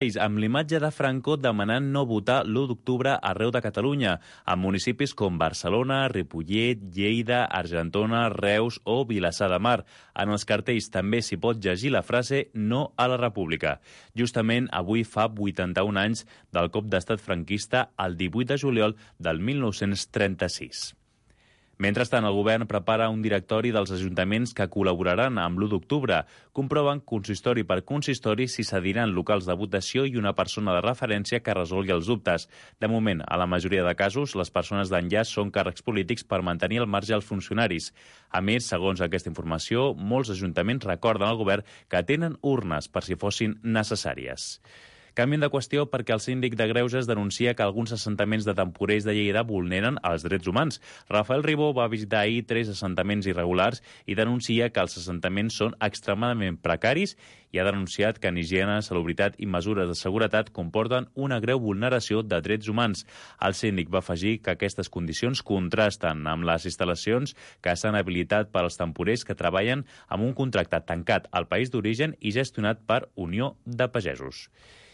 amb l'imatge de Franco demanant no votar l'1 d'octubre arreu de Catalunya, a municipis com Barcelona, Ripollet, Lleida, Argentona, Reus o Vilassar de Mar. En els cartells també s'hi pot llegir la frase «No a la República». Justament avui fa 81 anys del cop d'estat franquista el 18 de juliol del 1936. Mentrestant, el govern prepara un directori dels ajuntaments que col·laboraran amb l'1 d'octubre. Comproven consistori per consistori si cediran locals de votació i una persona de referència que resolgui els dubtes. De moment, a la majoria de casos, les persones d'enllaç són càrrecs polítics per mantenir al marge els funcionaris. A més, segons aquesta informació, molts ajuntaments recorden al govern que tenen urnes per si fossin necessàries. Canviem de qüestió perquè el síndic de Greuges denuncia que alguns assentaments de temporers de Lleida vulneren els drets humans. Rafael Ribó va visitar ahir 3 assentaments irregulars i denuncia que els assentaments són extremadament precaris i ha denunciat que en higiene, salubritat i mesures de seguretat comporten una greu vulneració de drets humans. El síndic va afegir que aquestes condicions contrasten amb les instal·lacions que s'han habilitat per als temporers que treballen amb un contracte tancat al país d'origen i gestionat per Unió de Pagesos.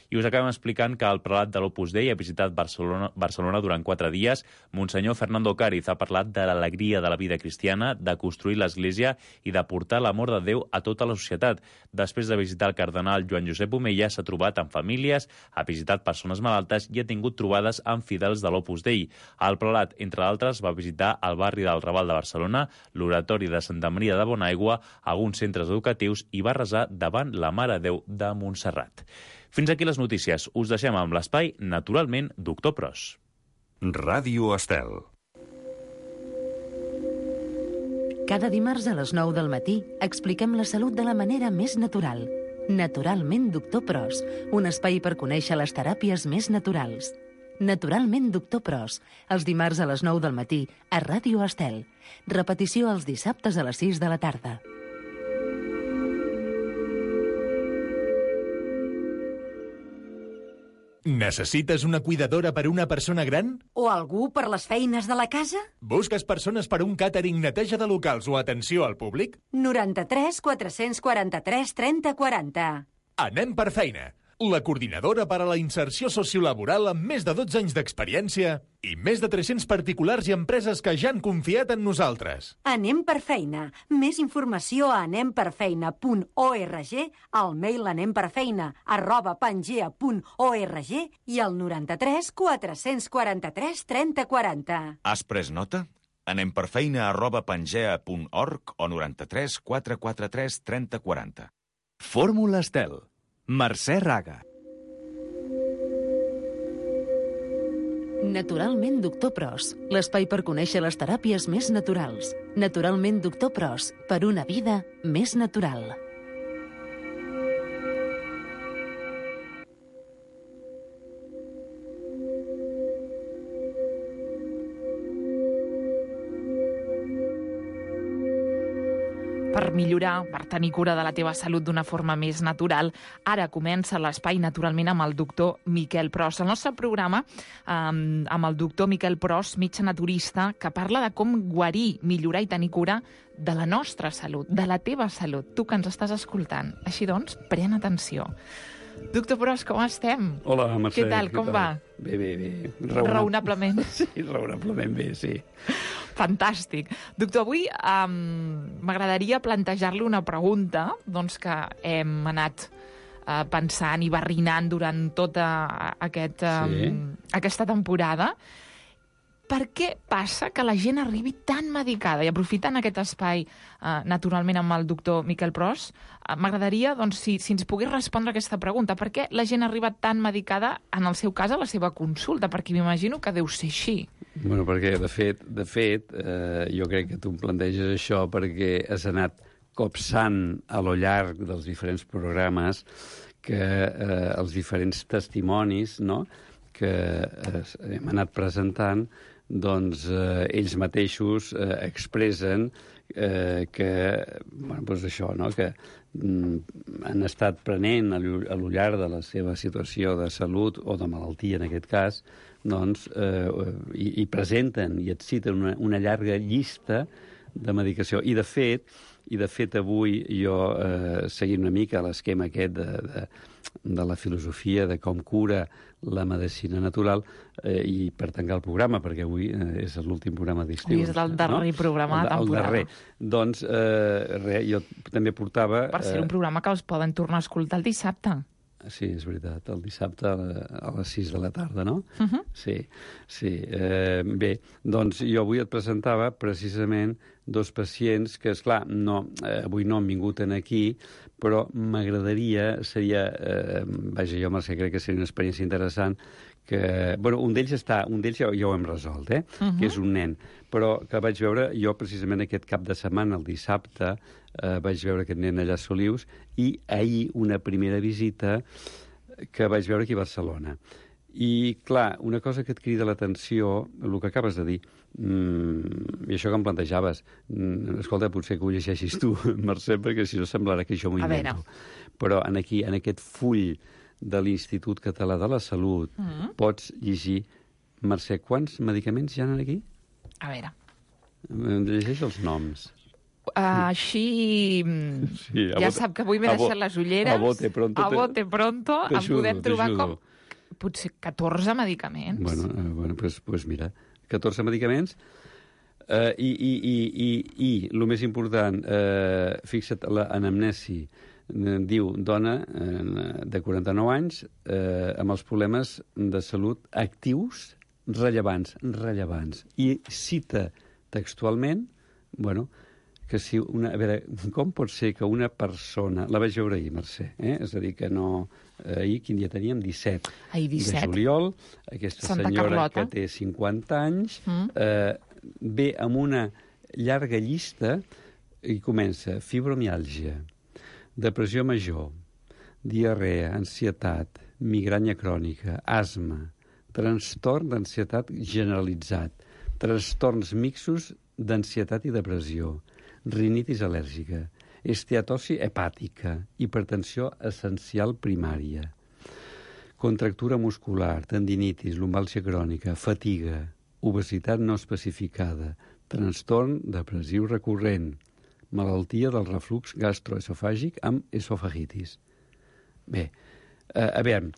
I us acabem explicant que el prelat de l'Opus Dei ha visitat Barcelona durant 4 dies. Monsenyor Fernando Cáriz ha parlat de l'alegria de la vida cristiana, de construir l'Església i de portar l'amor de Déu a tota la societat. Després de visitar el cardenal Joan Josep Omella, s'ha trobat amb famílies, ha visitat persones malaltes i ha tingut trobades amb fidels de l'Opus Dei. El prelat, entre d'altres, va visitar el barri del Raval de Barcelona, l'oratori de Santa Maria de Bonaigua, alguns centres educatius i va resar davant la Mare Déu de Montserrat. Fins aquí les notícies. Us deixem amb l'espai, naturalment, Doctor Pros. Ràdio Estel. Cada dimarts a les 9 del matí expliquem la salut de la manera més natural. Naturalment, Doctor Pros, un espai per conèixer les teràpies més naturals. Naturalment, Doctor Pros, els dimarts a les 9 del matí a Ràdio Estel. Repetició els dissabtes a les 6 de la tarda. Necessites una cuidadora per a una persona gran? O algú per les feines de la casa? Busques persones per a un càtering, neteja de locals o atenció al públic? 93 443 30 40. Anem per feina. La coordinadora per a la inserció sociolaboral amb més de 12 anys d'experiència i més de 300 particulars i empreses que ja han confiat en nosaltres. Anem per feina. Més informació a anemperfeina.org, al mail anemperfeina@pangea.org i al 93 443 30 40. Has pres nota? anemperfeina@pangea.org o 93 443 30 40. Fórmula Estel. Mercè Raga. Naturalment, Doctor Pros, l'espai per conèixer les teràpies més naturals. Naturalment, Doctor Pros, per una vida més natural. Per millorar, per tenir cura de la teva salut d'una forma més natural, ara comença l'espai naturalment amb el doctor Miquel Pros. El nostre programa amb el doctor Miquel Pros, metge naturista, que parla de com guarir, millorar i tenir cura de la nostra salut, de la teva salut, tu que ens estàs escoltant. Així doncs, pren atenció. Doctor Pros, com estem? Hola, Mercè. Què tal, com va? Bé. Raonablement. Sí, raonablement bé, sí. Fantàstic. Doctor, avui m'agradaria plantejar-li una pregunta doncs, que hem anat pensant i barrinant durant tota aquesta temporada. Per què passa que la gent arribi tan medicada? I aprofitant aquest espai, naturalment, amb el doctor Miquel Pros, m'agradaria doncs, si ens pogués respondre aquesta pregunta. Per què la gent arriba tan medicada, en el seu cas, a la seva consulta? Perquè m'imagino que deu ser així. Bueno, perquè, de fet, jo crec que tu em planteges això perquè has anat copsant a lo llarg dels diferents programes que els diferents testimonis, no?, que hem anat presentant, doncs ells mateixos expressen que, bueno, doncs això, no?, que han estat prenent a lo llarg de la seva situació de salut o de malaltia, en aquest cas, doncs, i presenten i et citen una llarga llista de medicació. I, de fet, avui jo, seguint una mica l'esquema aquest de la filosofia, de com cura la medicina natural, i per tancar el programa, perquè avui és l'últim programa d'estiu. Avui és el darrer programa de temporada. El darrer. Doncs jo també portava... Per ser un programa que els poden tornar a escoltar el dissabte. Sí, és veritat, el dissabte a les 6 de la tarda, no? Sí. Bé, doncs jo avui et presentava precisament dos pacients que, esclar, avui no han vingut aquí, però m'agradaria, vaja, jo, Mercè, crec que seria una experiència interessant, que, bueno, un d'ells ja ho hem resolt, que és un nen, però que vaig veure jo precisament aquest cap de setmana, el dissabte, vaig veure aquest nen allà a Solius, i ahir una primera visita que vaig veure aquí a Barcelona. I, clar, una cosa que et crida l'atenció, el que acabes de dir, i això que em plantejaves, escolta, potser que ho llegeixis tu, Mercè, perquè si no semblarà que jo m'ho invento. Però en aquest full de l'Institut Català de la Salut pots llegir, Mercè, quants medicaments hi ha aquí? A veure. Llegeix els noms. Així... Sí, ja sap que avui m'he deixat les ulleres. A bote pronto. Em podem trobar com potser 14 medicaments. Bueno, pues mira, 14 medicaments. I el més important, fixa't, l'anamnesi diu dona de 49 anys amb els problemes de salut actius rellevants. I cita textualment, que si a veure, com pot ser que una persona... La vaig veure ahir, Mercè, És a dir, que no... Ahir, quin dia teníem? 17. De juliol. Aquesta Santa senyora Carlota, que té 50 anys, ve amb una llarga llista i comença fibromiàlgia, depressió major, diarrea, ansietat, migranya crònica, asma, trastorn d'ansietat generalitzat, trastorns mixtos d'ansietat i depressió, rinitis al·lèrgica, esteatosi hepàtica, hipertensió essencial primària, contractura muscular, tendinitis, lumbàlgia crònica, fatiga, obesitat no especificada, trastorn depressiu recurrent, malaltia del reflux gastroesofàgic amb esofagitis. Bé, a veure,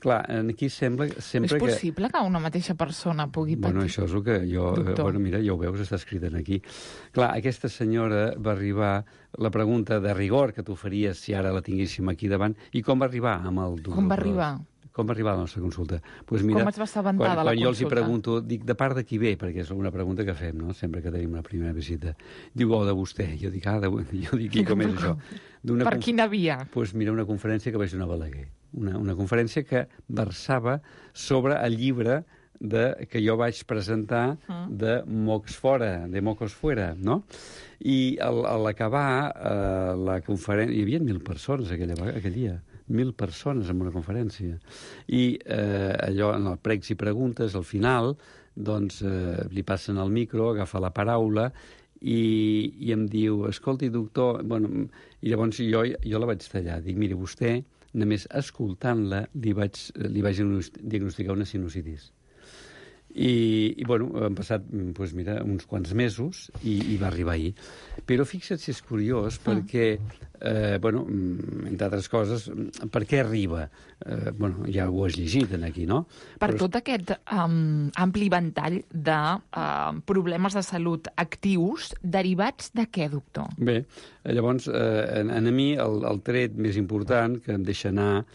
clar, aquí sembla que... És possible que una mateixa persona pugui patir? Bueno, això és el que jo... mira, ja ho veus, està escrit aquí. Clar, aquesta senyora va arribar... La pregunta de rigor que tu faries si ara la tinguéssim aquí davant, i com va arribar amb el doctor? Com va arribar? Com va arribar a la nostra consulta? Pues mira, com es va assabentar de la consulta? Quan jo els hi pregunto, dic, de part de qui ve? Perquè és una pregunta que fem, no?, sempre que tenim la primera visita. Diu, de vostè. Jo dic, i com és això? Per quina via? Doncs mira, una conferència que vaig donar a Balaguer. Una conferència que versava sobre el llibre que jo vaig presentar de Mocos Fuera, no? I a l'acabar la conferència... Hi havia 1.000 persones aquell dia. 1.000 persones en una conferència. I allò, en el pregs i preguntes, al final, doncs, li passen el micro, agafa la paraula i em diu, escolti, doctor... Bueno, i llavors jo la vaig tallar. Dic, miri, vostè, només escoltant-la, li vaig diagnosticar una sinusitis. I bueno, han passat, doncs mira, uns quants mesos i va arribar ahir. Però fixa't si és curiós, perquè, bueno, entre altres coses, per què arriba? Bueno, ja ho has llegit aquí, no? Tot aquest ampli ventall de problemes de salut actius derivats de què, doctor? Bé, llavors, a mi el tret més important que em deixa anar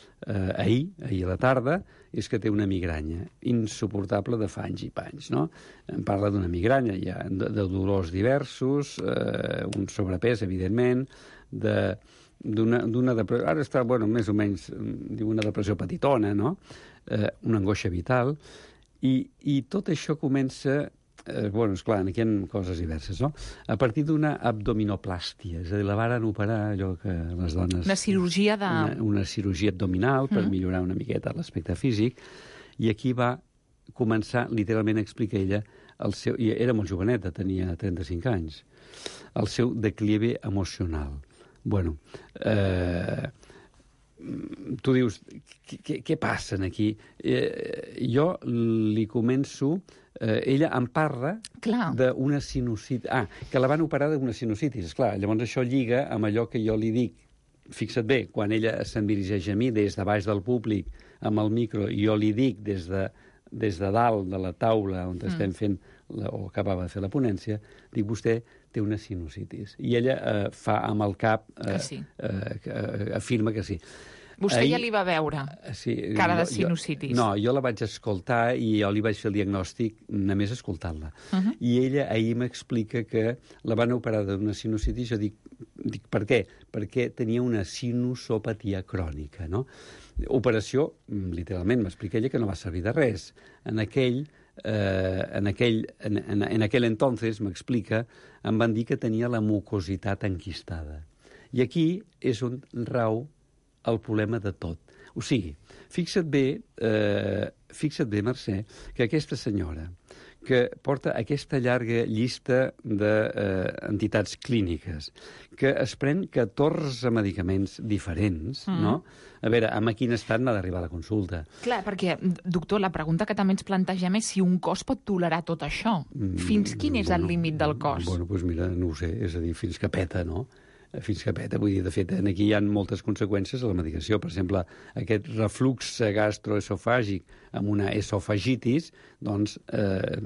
ahir a la tarda, és que té una migranya insuportable de fa anys i panys, no? Em parla d'una migranya, ja, de dolors diversos, un sobrepès, evidentment, d'una depressió... Ara està, bueno, més o menys, diu una depressió petitona, no? Una angoixa vital, i tot això comença... Bueno, esclar, aquí hi ha coses diverses, no? A partir d'una abdominoplàstia, és a dir, la varen operar, allò que les dones... Una cirurgia de... Una cirurgia abdominal per millorar una miqueta l'aspecte físic, i aquí va començar, literalment explica ella, i era molt joveneta, tenia 35 anys, el seu declive emocional. Bueno, tu dius, què passa aquí? Jo li començo... ella em parla d'una sinusitis... que la van operar d'una sinusitis, esclar. Llavors això lliga amb allò que jo li dic fixa't bé, quan ella se'n dirigeix a mi des de baix del públic amb el micro, i jo li dic des de dalt de la taula on estem fent, o acabava de fer la ponència, dic, vostè té una sinusitis. I ella fa amb el cap, afirma que sí. Vostè ja li va veure cara de sinusitis. No, jo la vaig escoltar i jo li vaig fer el diagnòstic només escoltant-la. I ella ahir m'explica que la van operar d'una sinusitis. Jo dic, per què? Perquè tenia una sinusopatia crònica, no? Operació, literalment, m'explica ella que no va servir de res. En aquell entonces, m'explica, em van dir que tenia la mucositat enquistada. I aquí és on rau el problema de tot. O sigui, fixa't bé, Mercè, que aquesta senyora, que porta aquesta llarga llista d'entitats clíniques, que es pren 14 medicaments diferents, no? A veure, amb quin estat n'ha d'arribar a la consulta? Clar, perquè, doctor, la pregunta que també ens plantegem és si un cos pot tolerar tot això. Fins quin és el límit del cos? Bueno, doncs mira, no ho sé, és a dir, fins que peta, no? Fins que peta, vull dir, de fet, aquí hi ha moltes conseqüències a la medicació. Per exemple, aquest reflux gastroesofàgic amb una esofagitis, doncs,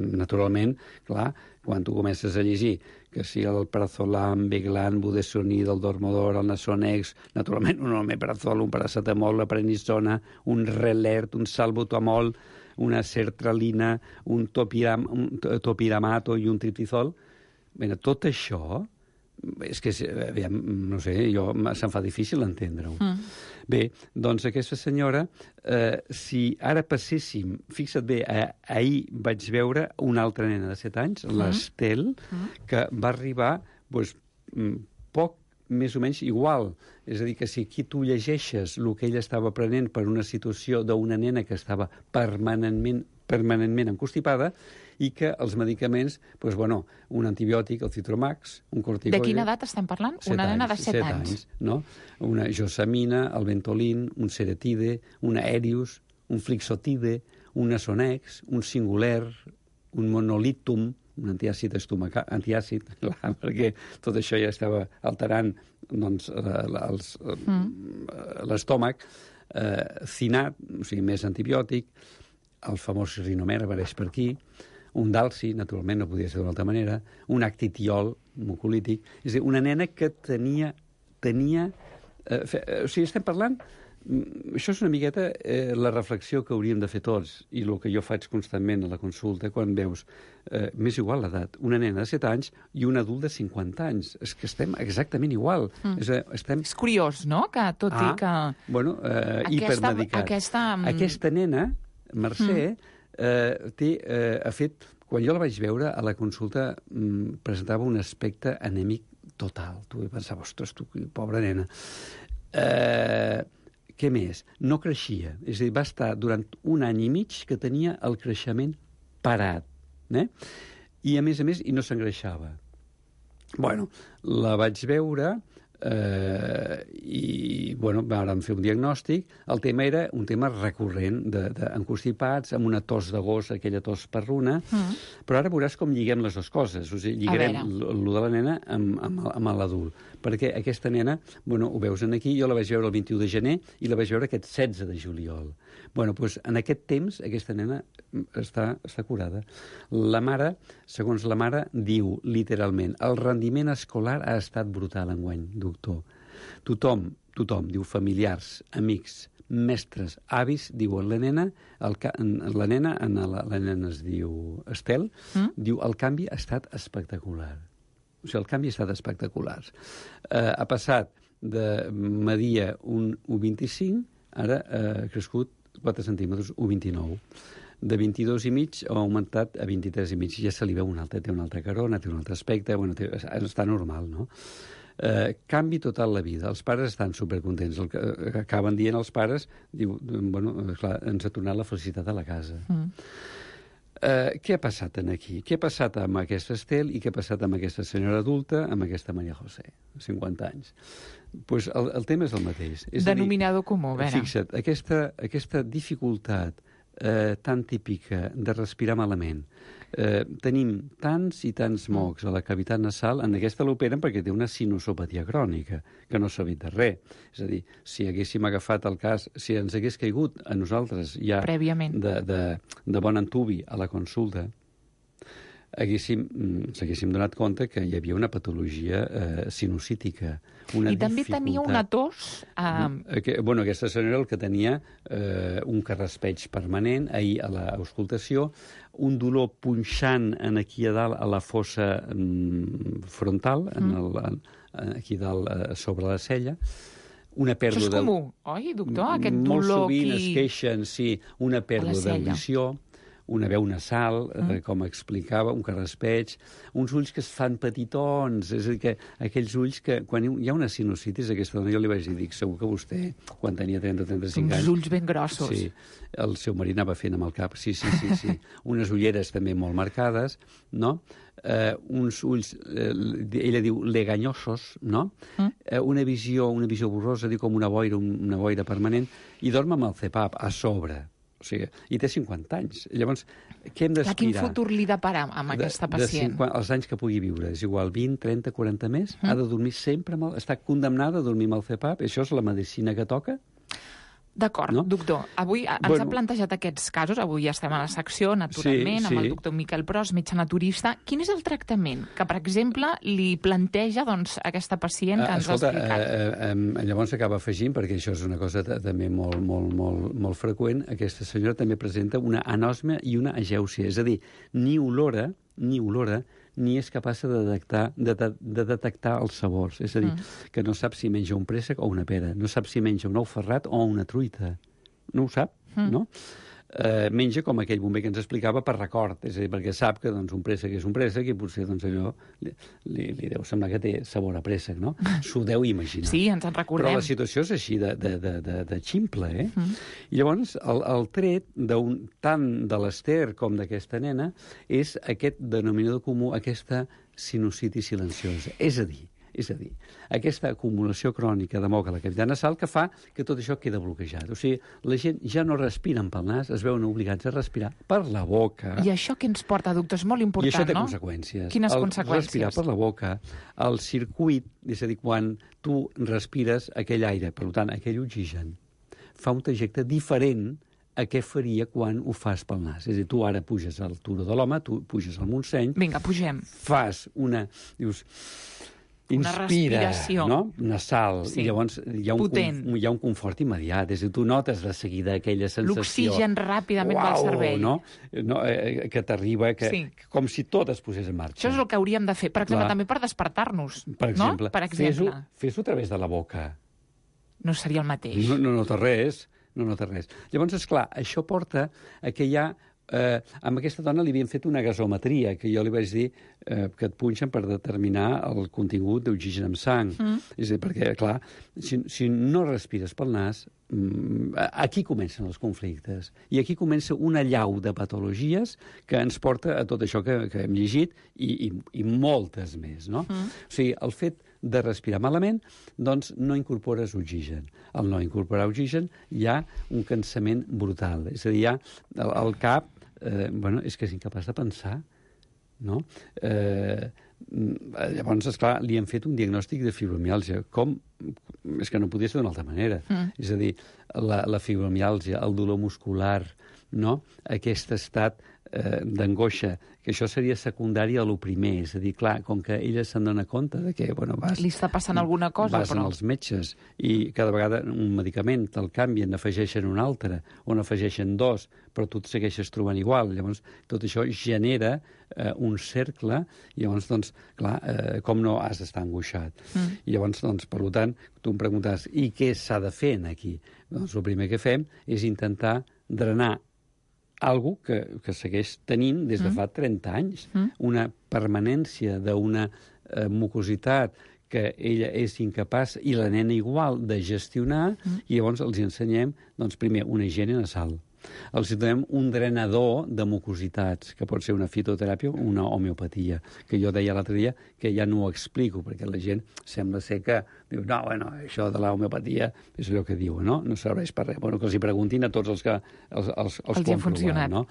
naturalment, clar, quan tu comences a llegir que si el prazolam, Beglan, budesonide, el Dormodor, el Nasonex, naturalment un omeprazol, un paracetamol, la prednisona, un Relert, un salbutamol, una sertralina, un topiramato i un triptizol, bé, tot això és que, aviam, no sé, se'm fa difícil entendre-ho. Bé, doncs aquesta senyora, si ara passéssim, fixa't bé, ahir vaig veure una altra nena de 7 anys, l'Estel, que va arribar poc més o menys igual. És a dir, que si aquí tu llegeixes el que ella estava prenent per una situació d'una nena que estava permanentment encostipada, i que els medicaments, doncs, bueno, un antibiòtic, el Citromax, un corticoide... De quina edat estem parlant? Una nena de 7 anys. No? Una josamina, el Ventolin, un Ceretide, un Aerius, un Flixotide, un Nasonex, un Singuler, un Monolitum, un antiàcid estomacal, perquè tot això ja estava alterant doncs, l'estómac, Cinat, o sigui, més antibiòtic, el famós Rinomer apareix per aquí, un Dalsi, naturalment, no podia ser d'una altra manera, un Actitiol, mucolític. És a dir, una nena que tenia o sigui, estem parlant... Això és una miqueta la reflexió que hauríem de fer tots, i el que jo faig constantment a la consulta, quan veus, m'és igual l'edat, una nena de 7 anys i un adult de 50 anys. És que estem exactament igual. És curiós, no?, que tot i que... Bueno, hipermedicat. Aquesta nena, Mercè, ha fet... Quan jo la vaig veure, a la consulta presentava un aspecte anèmic total. Tu pensaves, ostres, tu, pobra nena. Què més? No creixia. És a dir, va estar durant 1 any i mig que tenia el creixement parat. I, a més, i no s'engreixava. Bueno, la vaig veure i, bueno, vàrem fer un diagnòstic. El tema era un tema recurrent d'encostipats, amb una tos de gos, aquella tos perruna, però ara veuràs com lliguem les dues coses. O sigui, lligarem lo de la nena amb l'adult. Perquè aquesta nena, bueno, ho veus aquí, jo la vaig veure el 21 de gener i la vaig veure aquest 16 de juliol. Bueno, doncs en aquest temps aquesta nena està curada. La mare, segons la mare, diu literalment, el rendiment escolar ha estat brutal enguany, doctor. Tothom, diu, familiars, amics, mestres, avis, diuen la nena es diu Estel, diu el canvi ha estat espectacular. O sigui, el canvi ha estat espectacular. Ha passat de media un 1,25, ara ha crescut 4 centímetres, 1,29. De 22 i mig ha augmentat a 23 i mig. Ja se li veu té una altra carona, té un altre aspecte, bueno, està normal, no? Canvi total la vida. Els pares estan supercontents. El que acaben dient els pares, diu, bueno, clar, ens ha tornat la felicitat a la casa. Què ha passat aquí? Què ha passat amb aquesta Estel i què ha passat amb aquesta senyora adulta, amb aquesta Maria José, 50 anys? Pues el tema és el mateix. Denominador comú, a veure. Fixa't, aquesta dificultat tan típica de respirar malament, tenim tants i tants mocs a la cavitat nasal, en aquesta l'operen perquè té una sinusopatia crònica, que no s'ha de res. És a dir, si haguéssim agafat el cas, si ens hagués caigut a nosaltres ja prèviament de bon antubi a la consulta, s'haguéssim donat compte que hi havia una patologia sinusítica, una I també tenia una tos... Aquesta senyora el que tenia un carraspeig permanent ahir a l'auscultació, un dolor punxant aquí a dalt a la fossa frontal, aquí dalt sobre la cella, una pèrdua... Això és comú, oi, doctor? Aquest dolor molt sovint aquí... es queixen, sí, una pèrdua d'audició, una veu nasal, com explicava, un carraspeig, uns ulls que es fan petitons, és a dir, que aquells ulls que, quan hi ha una sinusitis, aquesta dona, jo li vaig dir, dic, segur que vostè, quan tenia 30 o 35 anys... Uns ulls ben grossos. Sí, el seu marit anava fent amb el cap, sí. Unes ulleres també molt marcades, no? Uns ulls, ella diu, leganyosos, no? Una visió borrosa, diu, com una boira permanent, i dorm amb el CPAP a sobre. O sigui, i té 50 anys. Llavors, què hem d'aspirar? Quin futur li depara amb aquesta pacient? Els anys que pugui viure. És igual, 20, 30, 40 més. Ha de dormir sempre està condemnada a dormir amb el CPAP. Això és la medicina que toca. D'acord, no? Doctor. Avui ens ha plantejat aquests casos. Avui estem a la secció, naturalment, amb el doctor Miquel Pros, metge naturista. Quin és el tractament que, per exemple, li planteja aquesta pacient que ens ha explicat? Llavors acaba afegint, perquè això és una cosa també molt freqüent, aquesta senyora també presenta una anòsmia i una agèusia. És a dir, ni olora, ni és capaç de detectar els sabors. És a dir, que no sap si menja un préssec o una pera, no sap si menja un ou ferrat o una truita. No ho sap, no? Menja com aquell bomber que ens explicava per record, és a dir, perquè sap que un préssec és un préssec i potser allò li deu semblar que té sabor a préssec, no? S'ho deu imaginar. Sí, ens en recordem. Però la situació és així de ximple, I llavors el tret tant de l'Ester com d'aquesta nena és aquest denominador comú, aquesta sinusitis silenciosa. És a dir, aquesta acumulació crònica de moc a la cavitat nasal que fa que tot això queda bloquejat. O sigui, la gent ja no respiren pel nas, es veuen obligats a respirar per la boca. I això què ens porta, doctor? És molt important, no? I això té conseqüències. Quines conseqüències? Respirar per la boca, el circuit, és a dir, quan tu respires aquell aire, per tant, aquell oxigen, fa un trajecte diferent a què faria quan ho fas pel nas. És a dir, tu ara puges al Turó de l'Home, tu puges al Montseny... Vinga, pugem. Fas dius... Inspira, no? Nasal, sí. I llavors hi ha un confort immediat, és a dir, tu notes de seguida aquella sensació... L'oxigen ràpidament va al cervell. No? Que t'arriba, com si tot es posés en marxa. Això és el que hauríem de fer, per exemple, també per despertar-nos. Per exemple, no? Fes-ho a través de la boca. No seria el mateix. No té res. Llavors, esclar, això porta a que hi ha... amb aquesta dona li havien fet una gasometria, que jo li vaig dir que et punxen per determinar el contingut d'oxigen en sang. És a dir, perquè, clar, si no respires pel nas, aquí comencen els conflictes. I aquí comença una llau de patologies que ens porta a tot això que hem llegit i moltes més, no? O sigui, el fet de respirar malament, doncs no incorpores oxigen. Al no incorporar oxigen hi ha un cansament brutal. És a dir, hi ha el cap, és que és incapaç de pensar, no? Llavors, esclar, li han fet un diagnòstic de fibromiàlgia. Com? És que no podia ser d'una altra manera. És a dir, la fibromiàlgia, el dolor muscular, no? Aquest estat d'angoixa, que això seria secundari a lo primer, és a dir, clar, com que ella se'n dona compte de que, li està passant alguna cosa, vas als metges i cada vegada un medicament te'l canvien, n'afegeixen un altre, o n'afegeixen dos, però tu et segueixes trobant igual. Llavors, tot això genera un cercle, i llavors, doncs, clar, com no has d'estar angoixat? I llavors, doncs, per tant, tu em preguntes, i què s'ha de fer aquí? Doncs el primer que fem és intentar drenar algo que segueix tenint des de fa 30 anys, una permanència d'una mucositat que ella és incapaç, i la nena igual, de gestionar, i llavors els ensenyem, doncs, primer, una higiene nasal. Els donem un drenador de mucositats, que pot ser una fitoteràpia o una homeopatia, que jo deia l'altre dia que ja no ho explico, perquè la gent sembla ser que diu, no, bueno, això de la homeopatia és allò que diuen, no? No serveix per res. Bueno, que els hi preguntin a tots els que els ha funcionat, no?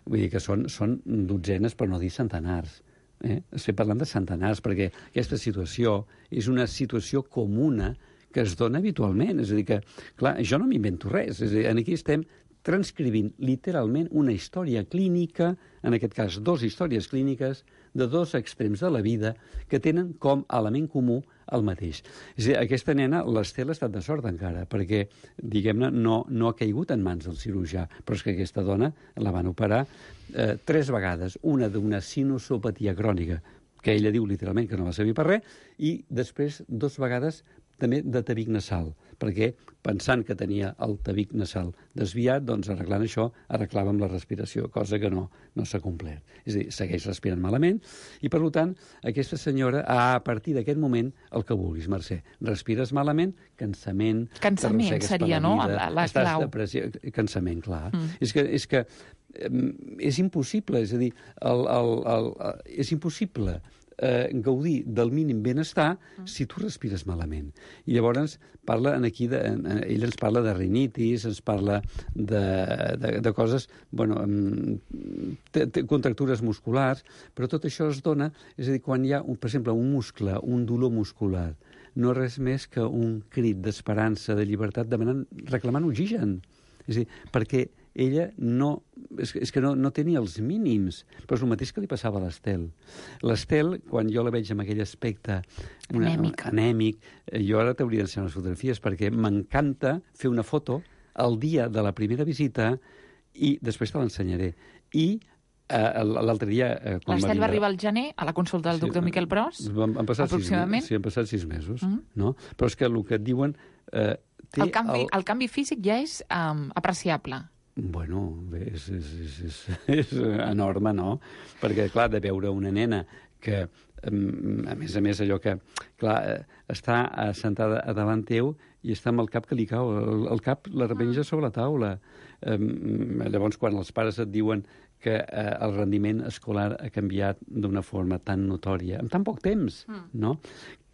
Vull dir que són dotzenes, per no dir centenars. Estem parlant de centenars, perquè aquesta situació és una situació comuna que es dona habitualment. És a dir que, clar, jo no m'invento res. És a dir, aquí estem transcrivint literalment una història clínica, en aquest cas 2 històries clíniques, de 2 extrems de la vida que tenen com a element comú el mateix. És a dir, aquesta nena, l'Estel, ha estat de sort encara, perquè, diguem-ne, no ha caigut en mans del cirurgià, però és que aquesta dona la van operar 3 vegades, una d'una sinusopatia crònica, que ella diu literalment que no va servir per res, i després 2 vegades també de tabic nasal, perquè pensant que tenia el tabic nasal desviat, doncs arreglant això, arreglàvem la respiració, cosa que no s'ha complert. És a dir, segueix respirant malament, i per tant, aquesta senyora, a partir d'aquest moment, el que vulguis, Mercè. Respires malament, cansament... Cansament seria, no?, la clau. Depressió, cansament, clar. És que és impossible, és a dir, és impossible gaudir del mínim benestar si tu respires malament. I llavors ell ens parla de rinitis, ens parla de coses, bueno, contractures musculars, però tot això es dona, és a dir, quan hi ha, per exemple, un muscle, un dolor muscular, no és res més que un crit d'esperança, de llibertat, reclamant oxigen. És a dir, perquè ella és que no té ni els mínims, però és el mateix que li passava a l'Estel. L'Estel, quan jo la veig amb aquell aspecte anèmic, jo ara t'hauria d'ensenyar unes fotografies, perquè m'encanta fer una foto el dia de la primera visita i després te l'ensenyaré. I l'altre dia... L'Estel va arribar al gener a la consulta del doctor Miquel Pros, aproximadament? Sí, han passat 6 mesos, no? Però és que el que et diuen... El canvi físic ja és apreciable. Bueno, és enorme, no? Perquè, clar, de veure una nena que, a més, allò que, clar, està sentada davant teu i està amb el cap que li cau, el cap la repenja sobre la taula. Llavors, quan els pares et diuen que el rendiment escolar ha canviat d'una forma tan notòria, en tan poc temps, no?,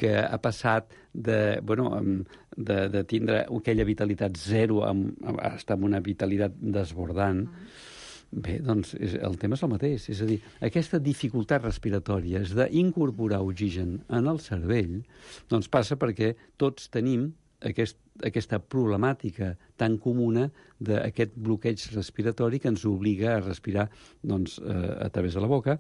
que ha passat de tindre aquella vitalitat zero a estar amb una vitalitat desbordant. Bé, doncs el tema és el mateix. És a dir, aquesta dificultat respiratòria d'incorporar oxigen en el cervell doncs passa perquè tots tenim aquesta problemàtica tan comuna d'aquest bloqueig respiratori que ens obliga a respirar a través de la boca.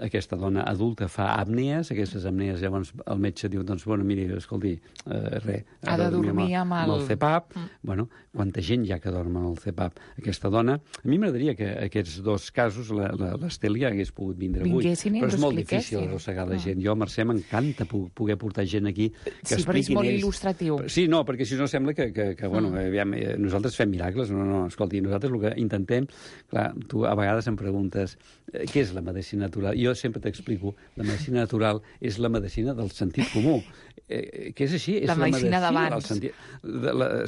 Aquesta dona adulta fa apnees, aquestes apnees llavors el metge diu, doncs, bueno, miri, escolti, ha de dormir amb el CPAP. Bueno, quanta gent hi ha que dorm amb el CPAP? Aquesta dona, a mi m'agradaria que aquests 2 casos l'Estel ja hagués pogut vindre avui, però és molt difícil arrossegar la gent. Jo, Mercè, m'encanta poder portar gent aquí que sí, però és molt il·lustratiu. Sí, no, perquè si no sembla que bueno, aviam, nosaltres fem miracles. No, escolti, nosaltres el que intentem... Clar, tu a vegades em preguntes què és la medicina natural? Jo sempre t'explico, la medicina natural és la medicina del sentit comú. Que és així, és la medicina d'abans.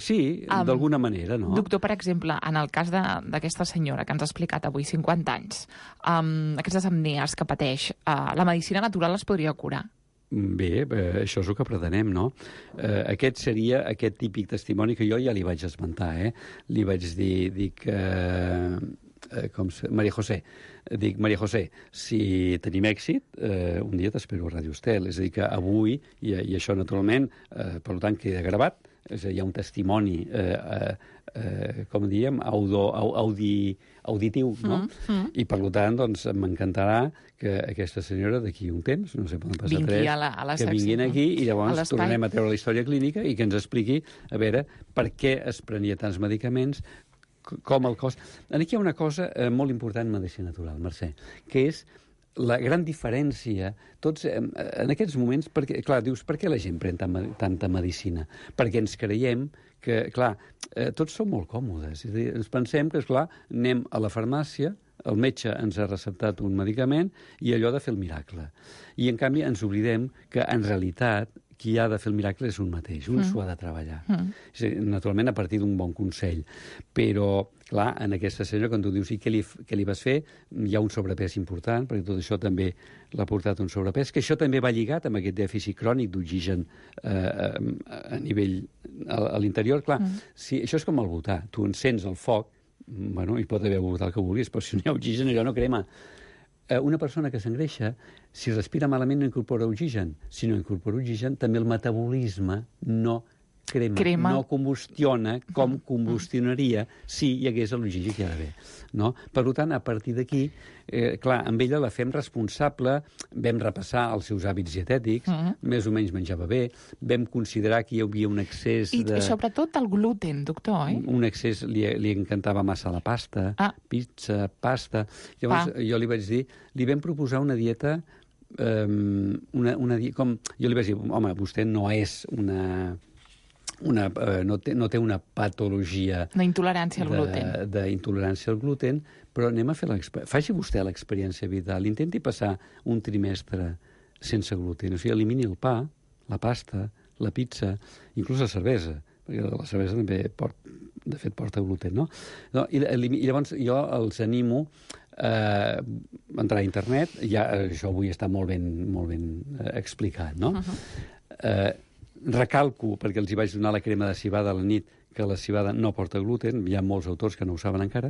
Sí, d'alguna manera, no? Doctor, per exemple, en el cas d'aquesta senyora que ens ha explicat avui, 50 anys, aquestes apnees que pateix, la medicina natural les podria curar? Bé, això és el que pretenem, no? Aquest seria aquest típic testimoni que jo ja li vaig esmentar, Li vaig dir que... Maria José. Dic, Maria José, si tenim èxit, un dia t'espero a Ràdio Estel. És a dir, que avui, i això naturalment, per tant, queda gravat, és a dir, hi ha un testimoni, com diem, auditiu, no? I per tant, doncs, m'encantarà que aquesta senyora d'aquí un temps, no sé, poden passar 3, que vinguin aquí i llavors tornem a treure la història clínica i que ens expliqui, a veure, per què es prenia tants medicaments, com el cos... Aquí hi ha una cosa molt important en medicina natural, Mercè, que és la gran diferència, tots en aquests moments, perquè, clar, dius, per què la gent pren tanta medicina? Perquè ens creiem que, clar, tots som molt còmodes. És a dir, ens pensem que, esclar, anem a la farmàcia, el metge ens ha receptat un medicament i allò de fer el miracle. I, en canvi, ens oblidem que, en realitat, qui ha de fer el miracle és un mateix, un s'ho ha de treballar. Naturalment, a partir d'un bon consell. Però, clar, en aquesta senyora, quan tu dius què li vas fer, hi ha un sobrepès important, perquè tot això també l'ha portat un sobrepès, que això també va lligat amb aquest dèficit crònic d'oxigen a nivell a l'interior. Clar, si, això és com el butà. Tu encens el foc, bueno, hi pot haver butà el que vulguis, però si no hi ha oxigen, allò no crema. Una persona que s'engreixa, si respira malament no incorpora oxigen. Si no incorpora oxigen, també el metabolisme no crema. No combustiona com combustionaria si hi hagués l'oxigen que hi ha d'haver. No? Per tant, a partir d'aquí, clar, amb ella la fem responsable, vam repassar els seus hàbits dietètics, més o menys menjava bé, vam considerar que hi havia un excés I sobretot el gluten, doctor, oi? Un excés, li encantava massa la pasta, pizza, pasta. Llavors, jo li vaig dir, li vam proposar una dieta, com jo li vaig dir, home, vostè no és no té una patologia d'intolerància al gluten. D'intolerància al gluten, però anem a fer faci vostè l'experiència vital, intenti passar un trimestre sense gluten, o sigui, elimini el pa, la pasta, la pizza, inclús la cervesa, perquè la cervesa també de fet porta gluten, no? I llavors jo els animo a entrar a internet, ja això avui està molt ben explicat, no? Recalco, perquè els hi vaig donar la crema de civada a la nit, que la civada no porta gluten, hi ha molts autors que no ho saben encara,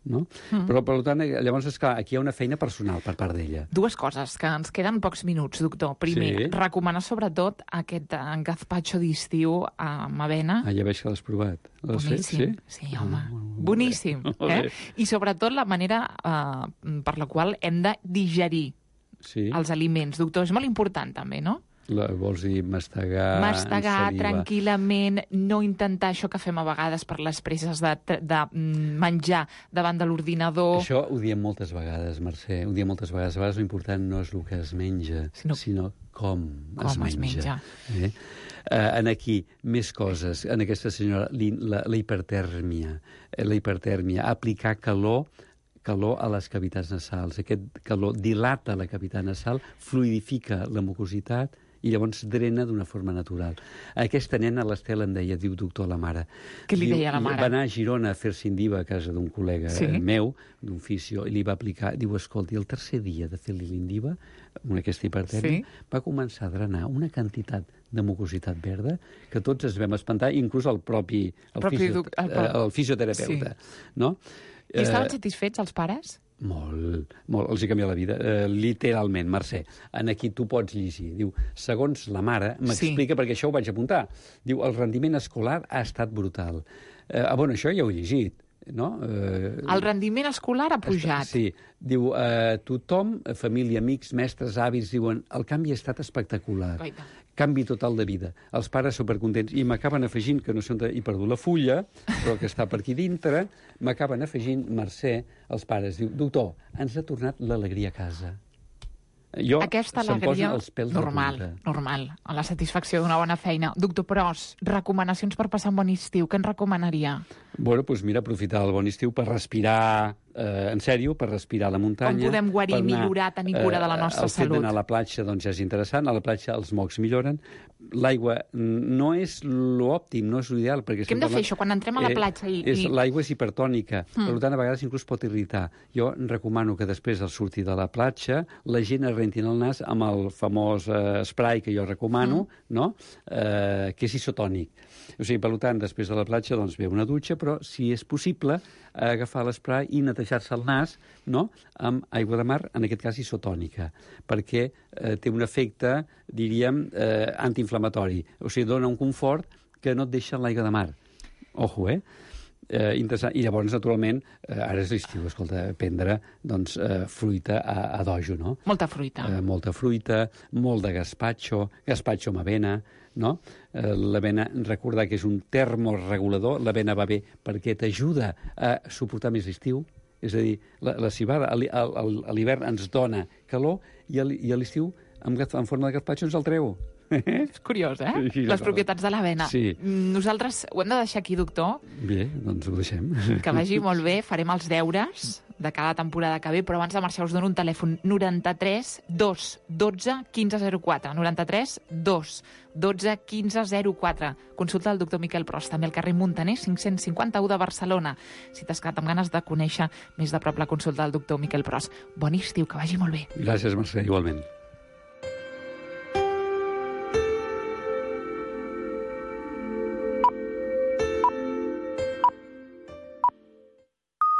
no? Però, per tant, llavors, esclar, aquí hi ha una feina personal per part d'ella. Dues coses, que ens queden pocs minuts, doctor. Primer, recomanar sobretot aquest gazpacho d'estiu amb avena. Ja veig que l'has provat. Boníssim. Sí, home. Boníssim. I sobretot la manera per la qual hem de digerir els aliments. Doctor, és molt important també, no? Vols dir mastegar tranquil·lament, no intentar això que fem a vegades per les presses de menjar davant de l'ordinador. Això ho diem moltes vegades, Mercè, ho diem moltes vegades. A vegades l'important no és el que es menja, sinó com es menja. Aquí, més coses. En aquesta senyora, la hipertèrmia, aplicar calor a les cavitats nasals. Aquest calor dilata la cavitat nasal, fluidifica la mucositat i llavors drena d'una forma natural. Aquesta nena, l'Estel, em deia, diu, doctor, la mare. Què li deia la mare? Va anar a Girona a fer-se indiva a casa d'un col·lega meu, d'un fisio, i li va aplicar, diu, escolti, el tercer dia de fer-li l'indiva, amb aquesta hipertèrmia, va començar a drenar una quantitat de mucositat verda que tots es vam espantar, inclús el fisioterapeuta. No? I estaven satisfets els pares? Molt. Els hi canvia la vida. Literalment, Mercè. Aquí tu pots llegir. Diu, segons la mare, m'explica, perquè això ho vaig apuntar. Diu, el rendiment escolar ha estat brutal. Bueno, això ja ho he llegit. No? El rendiment escolar ha pujat. Sí. Diu, tothom, família, amics, mestres, avis, diuen, el canvi ha estat espectacular. Canvi total de vida. Els pares supercontents. I m'acaben afegint, que no sé on he perdut la fulla, però que està per aquí dintre, m'acaben afegint, Mercè, els pares. Diu, doctor, ens ha tornat l'alegria a casa. Aquesta alegria normal, a la satisfacció d'una bona feina. Doctor Pros, recomanacions per passar un bon estiu, què ens recomanaria? Bueno, doncs mira, aprofitar el bon estiu per respirar, en sèrio, per respirar a la muntanya. Com podem guarir, millorar, tenir cura de la nostra salut? El fet d'anar a la platja, doncs, ja és interessant. A la platja els mocs milloren. L'aigua no és l'òptim, no és l'ideal. Què hem de fer, això, quan entrem a la platja? L'aigua és hipertònica, per tant, a vegades inclús pot irritar. Jo recomano que després del sortir de la platja la gent es rentin el nas amb el famós spray que jo recomano, no? Que és isotònic. O sigui, per tant, després de la platja, doncs, ve una dutxa, però, si és possible, agafar l'esprai i netejar-se el nas, no?, amb aigua de mar, en aquest cas isotònica, perquè té un efecte, diríem, antiinflamatori. O sigui, dona un confort que no et deixa en l'aigua de mar. Ojo, interessant. I llavors, naturalment, ara és l'estiu, escolta, prendre, doncs, fruita a dojo, no? Molta fruita. Molta fruita, molt de gazpacho amb avena, no? L'avena, recordar que és un termoregulador, l'avena va bé perquè t'ajuda a suportar més l'estiu, és a dir, la civada a l'hivern ens dona calor i a l'estiu, en forma de gazpacho, ens el treu. És curiós, les propietats de l'avena. Sí. Nosaltres ho hem de deixar aquí, doctor. Bé, doncs ho deixem. Que vagi molt bé, farem els deures de cada temporada que ve, però abans de marxar us dono un telèfon 93 212 1504. 93 212 1504. Consulta el doctor Miquel Pros, també al carrer Muntaner 551 de Barcelona. Si t'has quedat amb ganes de conèixer més de prop la consulta del doctor Miquel Pros. Bon estiu, que vagi molt bé. Gràcies, Mercè, igualment.